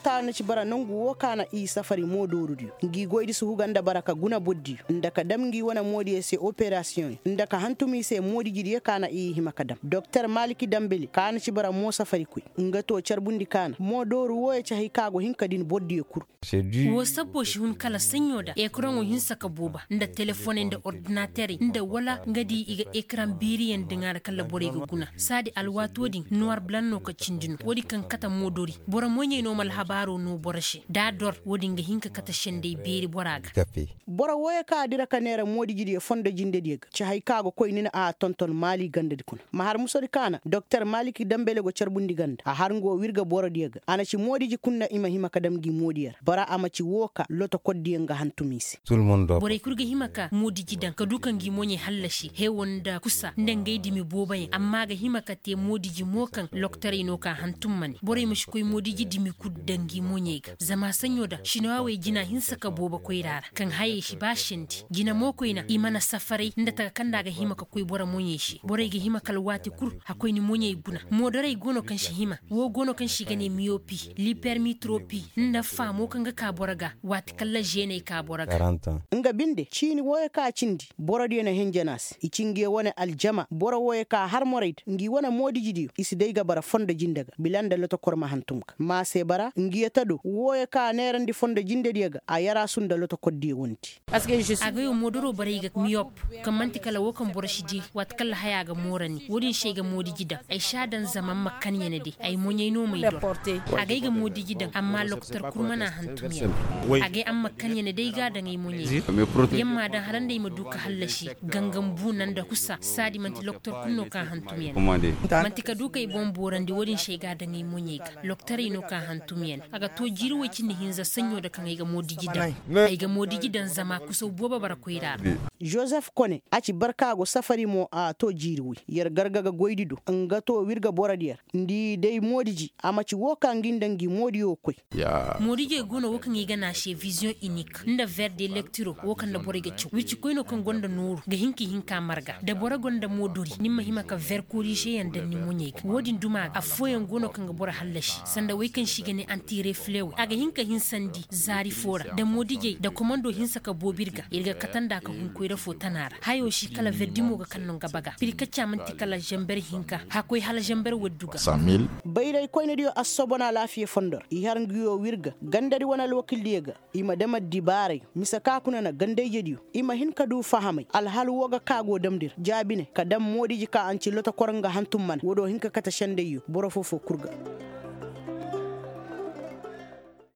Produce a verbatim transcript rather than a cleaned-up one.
Doktor na ci bara nongu woo ka na i safari moodoorudiyo ngi goydi suhu ga nda bara ka guna bordiyo nda ka dam ngi wane moodiyo se operasiyoŋyo nda ka hantum i se moodijidiyo ka na i hima ka dam doktor maliki dambele ka na ci bara moo safarikoy. Nga too carbundi ka na moodooru wooyo ci hay ka go hin ka din bordiyo kul. Woo sabbo si hun kala saɲɲo da ekaraŋo hinsa ka booba nda telefoney nda ordinaterey nda wala nga di i ga ekaraŋ beeriyaŋ daŋ a ra kala borey ga guna saadi alwaatoo din nuwar blan no ka cindi no woodin kaŋ kate moodori boro moɲey no ma alhabaaroo noo boro se da a dor woodin ga hin ka kate sendey beeri bora ga. Boro wooyo kaŋ a dira ka neera moodijidiyo fondo jindediyo ga ci hay kaŋ a ga koy ni na a tonton maali gandadi kuna ma har musodi kaŋ a na doktor maliki dambele go carbundi ganda a har nga woo wirga borodiyo ga a na ci moodiji kul na i ma hima ka dam ngi moodiyo ra bara a ma ci woo ka lotokordiyo nga hantum i se. Borey kul ga hima ka moodiji daŋ ka du ka ngi moɲey hallasi hewo nda kusa nda ngey dimi booboyaŋ amma a ga hima ka te moodiji mo kaŋ lokotorey no ka hantum ma ne borey ma si koy moodiji dimi kul daŋ ngi moɲey ga zama saɲɲo da sinowaawey jina hinsa ka boobo koyra ra kaŋ hayey si ba sendi jina mo koyna i mana safaray nda taka kaŋ nda a ga hima ka koy boro moɲey se borey ga hima kala waati kul a koy ni moɲey guna moodorey go no kaŋ si hima woo go no kaŋ se i ga ne miyopi lipermitropi nda faamo kaŋ ga ka boro ga waati kala zeeney ka boro ga. Nga binde ciini wooyo kaŋ a cindi borodiyo na henjen a se i ci ngiyo wane aljama boro wooyo kaŋ a har morey da ngi wane moodijidiyo i si day ga bara fondo jinde ga bila nda lotokor ma hantum ga ma a se bara ngiyo tado wooyo kaŋ a neerandi fondo jindediyo ga a yaraasu nda lotokordiyo wondi. Agay wo moodoroo borey ga miyop kaŋ man'ti kala woo kaŋ boro si dii waati kaŋ lahayaa ga moorandi woodin se ay ga moodiji daŋ ay si a daŋ zama m'ma kan ya ni day ay moɲey no m'ay dor. Agay ga moodiji daŋ amma lokotor kul mana hantum ya ni agay amma kan ya ni day ga a daŋ ay moɲey ga yamma daŋ hala nda ay ma du ka hallasi gangam buuna nda kusa saadi man'ti lokotor kul no kaŋ hantum ya ni man'ti ka du k'ay boŋ boorandi woodin se ay ga a daŋ ay moɲey ga lokotorey no kaŋ hantum ya ni a ga too jiiri woy cindi hinza saɲɲo nda kaŋ ay ga moodiji daŋ ay ga moodiji daŋ zama kusaw boobo bara koyra ra. Jozef kone a ci barka go safari mo a too jiiri woy yer garga ga goydi do nga too wirga borodiyo ra nda i day moodiji a ma ci woo ka ngi nda ngi moodiyo koy. Moodijey go no woo kaŋ i ga ne a se viziyoŋ inik nda ver de lektiro woo kaŋ nda borey ga caw wircikoynoo kaŋ gonda nooru ga hin k'i hin ka marga nda boro gonda moodori ni ma hima ka ver korizeyaŋ daŋ ni moɲey ga woodin duma ga affooyaŋ go no kaŋ ga boro hallasi sanda wey kaŋ se i ga ne antireflewey a ga hin ka hinsandi zaari foo ra nda moodijey nda komando hinsa ka boobo ir ga ir ga kate nda ka hun koyra foo tana ra hayoo si kala ver dimo ga kaŋ no nga baga pirkacca man'ti kala zamber hinka hakkoy hala zamber waddu ga. Bayraykoynediyo assobon alaafiya fondo ra i har nguyo w'ir ga gandadi wane alwakildiyo ga i ma dam addibaaray mise ka kuna na gandayjediyo i ma hin ka du fahamay alhal woo ga ka go damndi ra jaabine ka dam moodiji ka anci lotokor nga hantum mana woodiyo hin ka kate sendayyo boro foo-foo kul ga.